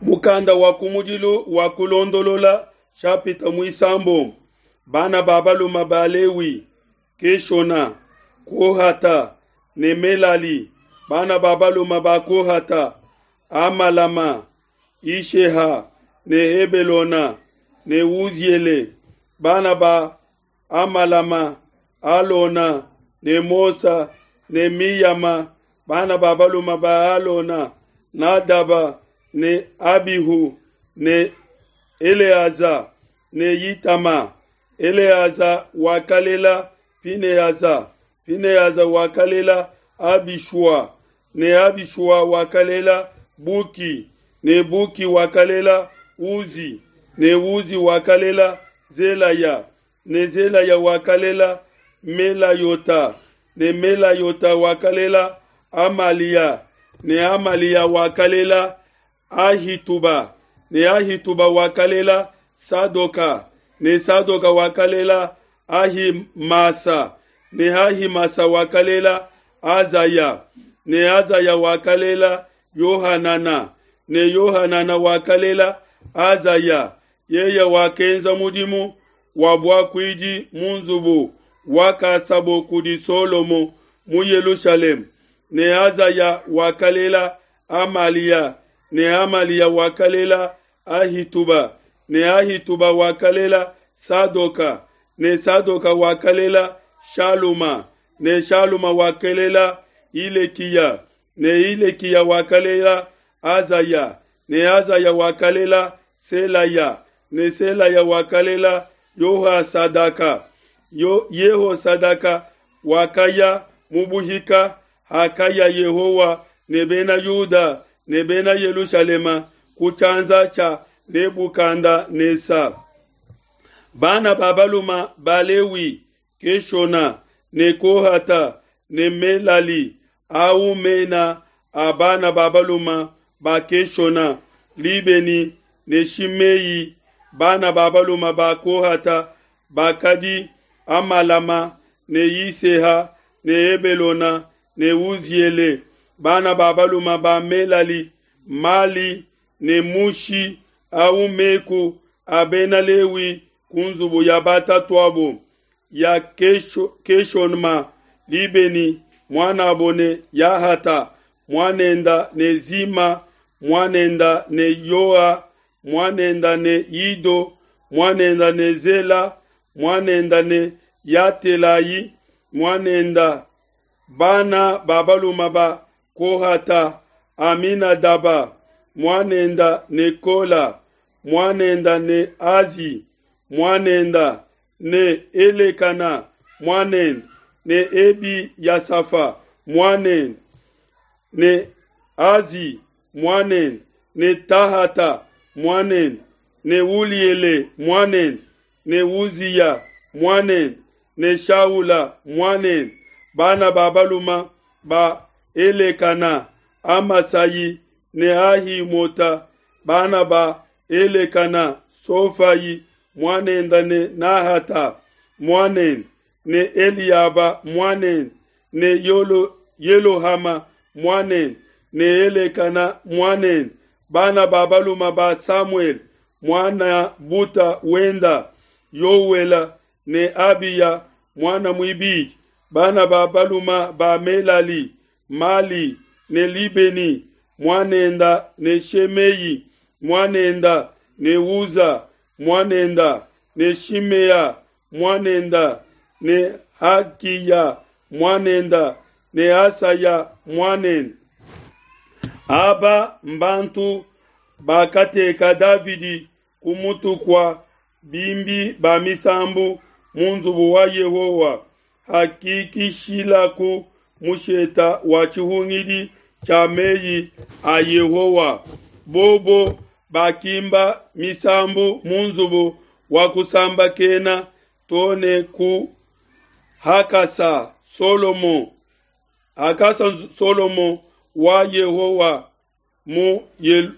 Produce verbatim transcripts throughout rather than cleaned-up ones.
Mukanda wa kumudilu wa kulondolola shapita muisambombo bana ba baluma ba Lewi Keshona Kohata ne Melali bana ba baluma ba Kohata Amalama Isheha ne Hebelona ne Uziele bana ba Amalama Alona ne Mosa ne Miyama bana ba baluma ba Alona Nadaba ne Abihu ne Eleaza ne Yitama Eleaza wakalela Pineaza Pineaza wakalela Abishua ne Abishua wakalela Buki ne Buki wakalela Uzi ne Uzi wakalela Zelaya ne Zelaya wakalela Melayota ne Melayota wakalela Amalia ne Amalia wakalela Ahituba ne Ahituba wakalela Sadoka ne Sadoka wakalela Ahimasa ne Ahimasa wakalela Azaya ne Azaya wakalela Yohanana ne Yohanana wakalela Azaya yeye wakenza mudimu wa buakuidi mu nzubu wakasabo kudi Solomo mu Yelushalema ne Azaya wakalela Amalia ne Amalia wakalela Ahituba ne Ahituba wakalela Sadoka ne Sadoka wakalela Shaluma ne Shaluma wakalela Ilekiya ne Ilekiya wakalela Azaya ne Azaya wakalela Selaya ne Selaya wakalela Yohasadaka Yo, Yehosadaka wakaya mubuhika hakaya Yehowa ne bena Yuda ne bena Yelushalema ku tshianza tshia Nebukanda-nesa. Bana ba baluma ba Lewi Keshona ne Kohata ne Melali au mena a bana ba baluma ba Keshona Libeni ne Shimei bana ba baluma ba Kohata bakadi Amalama ne Yiseha ne Hebelona ne Uziele bana ba baluma ba Melali Mali ne Mushi au meku a bena Lewi ku nzubu ya batatuabo ya Kesho, Keshonma Libeni mwanabo ne Yahata mwanenda ne Zima mwanenda ne Yoa mwanenda ne Ido mwanenda ne Zela mwanenda ne Yatelayi mwanenda bana ba baluma ba Kohata Aminadaba mwanenda ne Kola mwanenda ne Azi mwanenda ne Elekana mwanenda ne Ebi Yasafa mwanenda ne Azi mwanenda ne Tahata mwanenda ne Uliele mwanenda ne Uziya mwanenda ne Shaula mwanenda bana ba baluma ba Elekana Amasayi ne Ahimota bana ba Elekana Sofayi mwanenda ne Nahata mwanenda ne Eliaba mwanenda ne Yolo, Yelohama mwanenda ne Elekana mwanenda bana ba baluma ba Samuel mwana buta wenda Yowela ne Abiya mwana mwibidi bana ba baluma ba Melali Mali ne Libeni mwanenda ne Shemei mwanenda ne Uza mwanenda ne Shimea mwanenda ne Hakiya mwanenda ne Asaya mwanenda aba mbantu bakateka Davidi kumutu kwa bimbi ba misambu mu nzubu wa Yehowa hakikishilaku musheta wa tshihungidi tshia meyi a Yehowa bobo bakimba misambu mu nzubu wa kusambakena tone ku hakasa Solomo hakasa Solomo wa Yehowa mu Yel,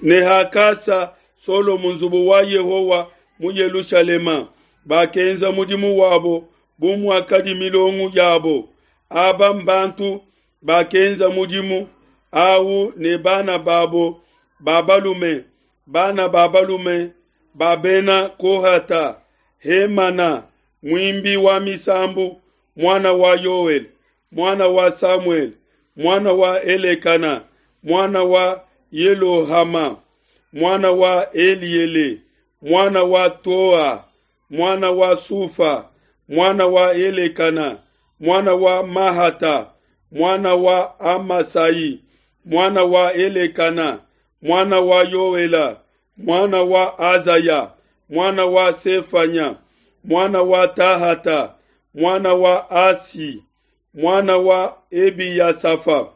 ne hakasa Solomo nzubu wa Yehowa mu Yelushalema bakenza mudimu wabo bu muakadi milongo yabo aba mbantu bakenza mudimu au ne bana babo ba balume, bana ba balume ba bena Kohata, Hemana, muimbi wa misambu, mwana wa Yoel, mwana wa Samuel, mwana wa Elekana, mwana wa Yelohama, mwana wa Eliele, mwana wa Toa, mwana wa Sufa, mwana wa Elekana, mwana wa Mahata, mwana wa Amasai, mwana wa Elekana, mwana wa Yoela, mwana wa Azaya, mwana wa Sefanya, mwana wa Tahata, mwana wa Asi, mwana wa Ebiyasafa,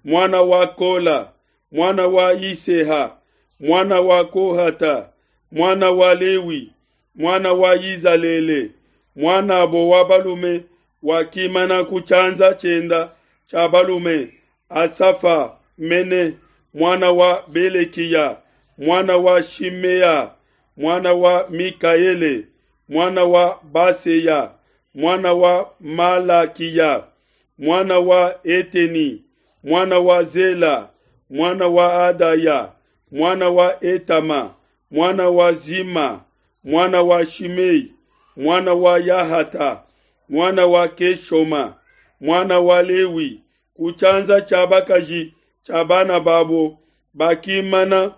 mwana wa Kola, mwana wa Iseha, mwana wa Kohata, mwana wa Lewi, mwana wa Izalele, mwanabo wa balume wakimana ku chanza chenda cha balume, Asafa mene mwana wa Belekiya, mwana wa Shimea, mwana wa Mikaele, mwana wa Baseya, mwana wa Malakiya, mwana wa Eteni, mwana wa Zela, mwana wa Adaya, mwana wa Etama, mwana wa Zima, mwana wa Shimei, mwana wa Yahata, mwana wa Keshoma, mwana wa Lewi, kuchanza cha bakaji cha bana babo bakimana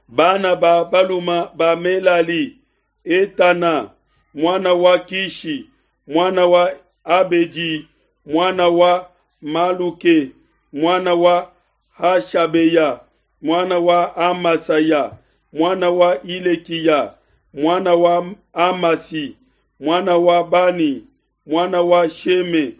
bana ba baluma ba Melali, Etana, mwana wa Kishi, mwana wa Abedi, mwana wa Maluke, mwana wa Hashabeya, mwana wa Amasaya, mwana wa Ilekiya, mwana wa Amasi, mwana wa Bani, mwana wa Sheme,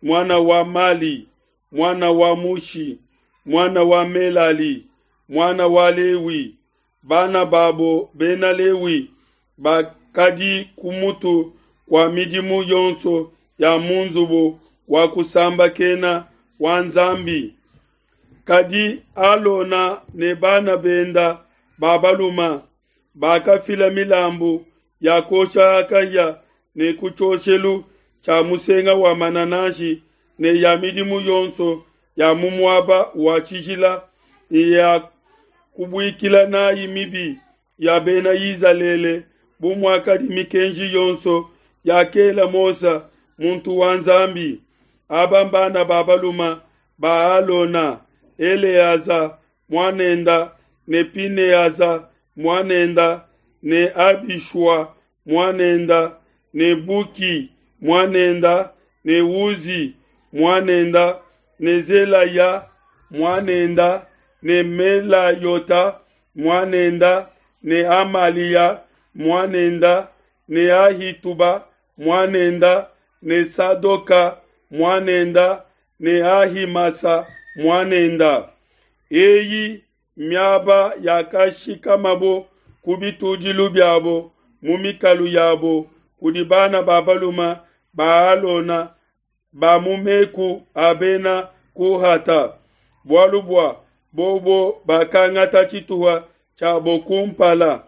mwana wa Mali, mwana wa Mushi, mwana wa Melali, mwana wa Lewi. Bana babo bena Lewi bakadi kumutu kwa midimu yonso ya munzubu wa kusambakena wa Nzambi. Kadi Alona ne bana benda babaluma bakafila milambu ya kosha akaya ne kuchoshelu cha musenga wa mananashi ne ya midimu yonso ya mumwaba wa chijila ya kubuikila nayi mibi ya bena Izalele bumwakadi mikenji yonso yakela Mosa muntu wa Nzambi. Aba mbana babaluma ba Alona, Eleaza mwanenda ne Pineaza mwanenda ne Abishua mwanenda ne Buki mwanenda ne Uzi mwanenda ne Zelaya mwanenda ne Melayota mwanenda ne Amalia mwanenda ne Ahituba mwanenda ne Sadoka mwanenda ne Ahimasa mwanenda. Eyi miaba yakashikamabo kubitujilu byabo mu mikalu yabo kudi bana babaluma ba Alona ba mumeku abena Kohata. Bwalu bwa bobo bakangata chituwa chabo kumpala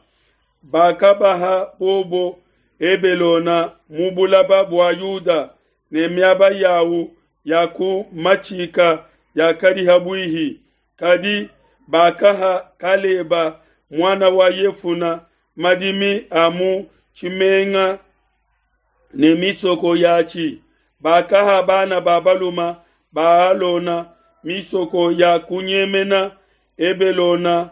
bakabaha bobo Ebelona mubulaba bwa Yuda ne miaba yawu yaku machika yakali habwihi. Kadi bakaha Kaleba mwana wa Yefuna madimi amu chimenga ne misoko yachi. Bakaha bana babaluma ba Alona misoko ya kunyemena Ebelona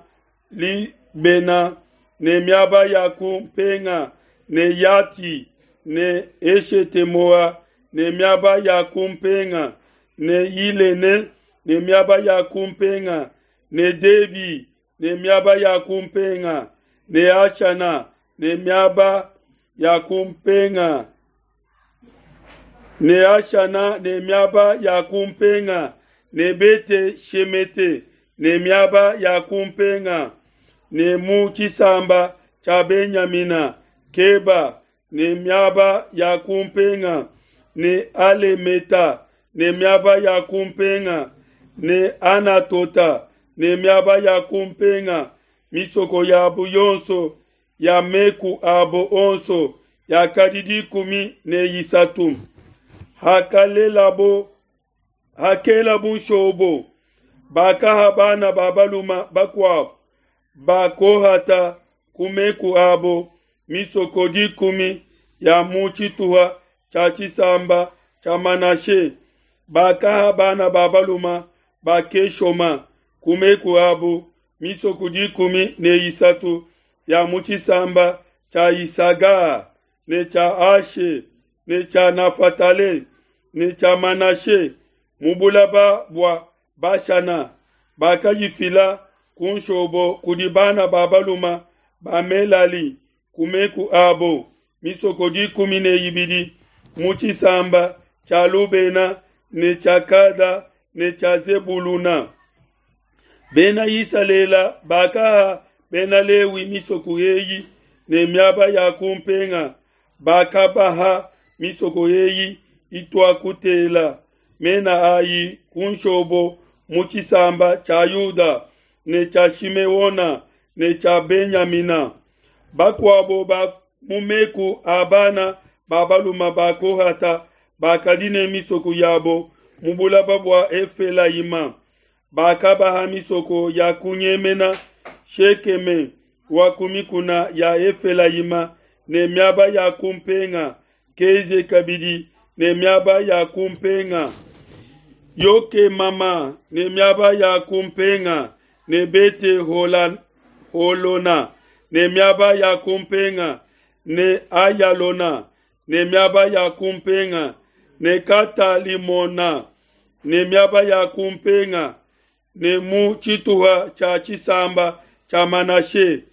Libena ne miaba ya kumpenga ne Yati ne Eshetemoa ne miaba ya kumpenga ne Ilene ne miaba ya kumpenga ne Debi ne miaba ya kumpenga ne Achana ne miaba ya kumpenga ne Achana ne miaba ya kumpenga ne Bete Shemete ne miaba ya kumpenga ne mu chisamba cha Benyamina Keba ne miaba ya kumpenga ne Alemeta ne miaba ya kumpenga ne Anatota ne miaba ya kumpenga. Misoko ya buyonso ya meku abo onso ya kadidi kumi ne yisatu. Hakalelabo hakela bushobo Bakaha bana ba baluma bakuabo ba Kohata ku meku abo misoko dikumi ya mu tshituha tshia tshisamba tshia Manashe. Bakaha bana ba baluma ba Keshoma ku meku abo misoko dikumi ne isatu ya mu tshisamba tshia Isaga ne tshia Ashe ne tshia Nafatale ne tshia Manashe mu bulaba bua Bashana. Bakayifila ku nshobo kudi bana ba baluma ba Melali ku meku abo misoko dikumi ne ibidi mu tshisamba tshia Lubena ne tshia Kada ne tshia Zebuluna. Bena Isalele bakaha Bena Lewi misoko eyi ne miaba ya kumpenga. Bakabaha misoko eyi ituakutela mena ayi ku nshobo mu tshisamba tshia Yuda ne tshia Shimeona ne tshia Benyamina. Bakuabo ba mu meku a bana ba baluma ba Kohata bakadi ne misoko yabo mu bulaba bua Efelayima. Bakabaha misoko ya kunyemena Shekeme wa ku mikuna ya Efelayima ne miaba ya kumpenga, Keze kabidi ne miaba ya kumpenga, Yokemama ne miaba ya kumpenga, ne Bete Holona ne miaba ya kumpenga, ne Ayalona ne miaba ya kumpenga, ne Katalimona ne miaba ya kumpenga, ne mu tshituha tshia tshisamba tshia Manashe,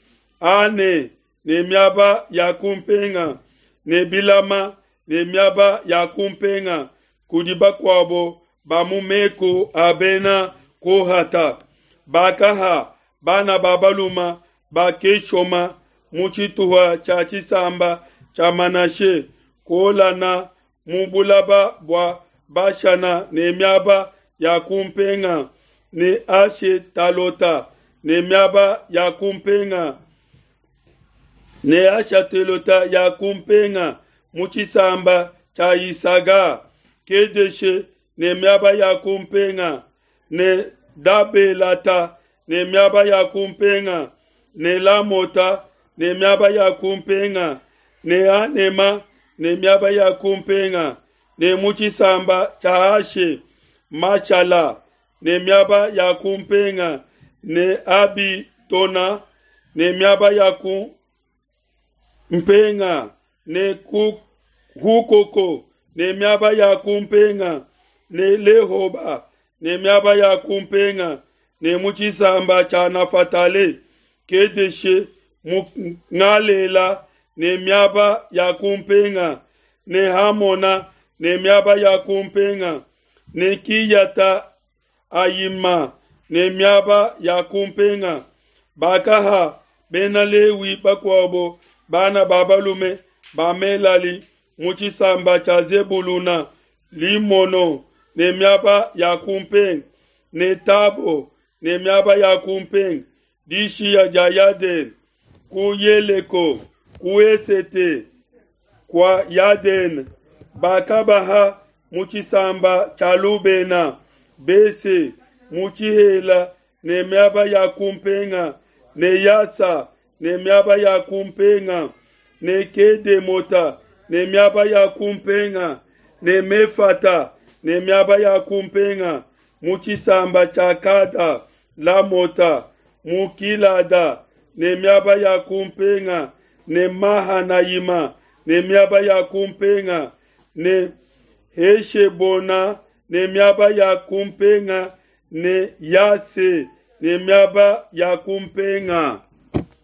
Ane ne miaba ya kumpenga, ne Bilama ne miaba ya kumpenga kudi bakuabo ba mu meku a bena Kohata. Bakaha bana ba baluma ba Keshoma mu tshituha tshia tshisamba tshia Manashe, Kolana mu bulaba bua Bashana ne miaba ya kumpenga, ne Ashetalota ne miaba ya kumpenga, ne Ashatelota ya kumpenga mu tshisamba tshia Isaga, Kedeshe ne miaba ya kumpenga, ne Dabelata ne miaba ya kumpenga, ne Lamota ne miaba ya kumpenga, ne Anema ne miaba ya kumpenga, ne mu tshisamba tshia Ashe, Mashala ne miaba ya kumpenga, ne Abitona ne miaba ya kumpenga, ne Hukoko ne miaba ya kumpenga, ne Lehoba ne miaba ya kumpenga, ne mu tshisamba tshia Nafatale, Kedeshe mu Ngalela ne miaba ya kumpenga, ne Hamona ne miaba ya kumpenga, ne Kiyata Ayima ne miaba ya kumpenga. Bakaha Bena Lewi bakuabo bana ba balume ba Melali mu tshisamba tshia Zebuluna, Limono ne miaba ya kumpenga, ne Tabo ne miaba ya kumpenga, dishiya dia Yadene ku Yeleko ku Esete kwa Yadene. Bakabaha mu tshisamba tshia Lubena, Bese mu tshihela ne miaba ya kumpenga, ne Yasa ne miaba ya kumpenga, ne Kedemota ne miaba ya kumpenga, ne Mefata ne miaba ya kumpenga mu tshisamba tshia Kada, Lamota mu Kilada ne miaba ya kumpenga, ne Mahanayima ne miaba ya kumpenga, ne Heshebona ne miaba ya kumpenga, ne Yase ne miaba ya kumpenga.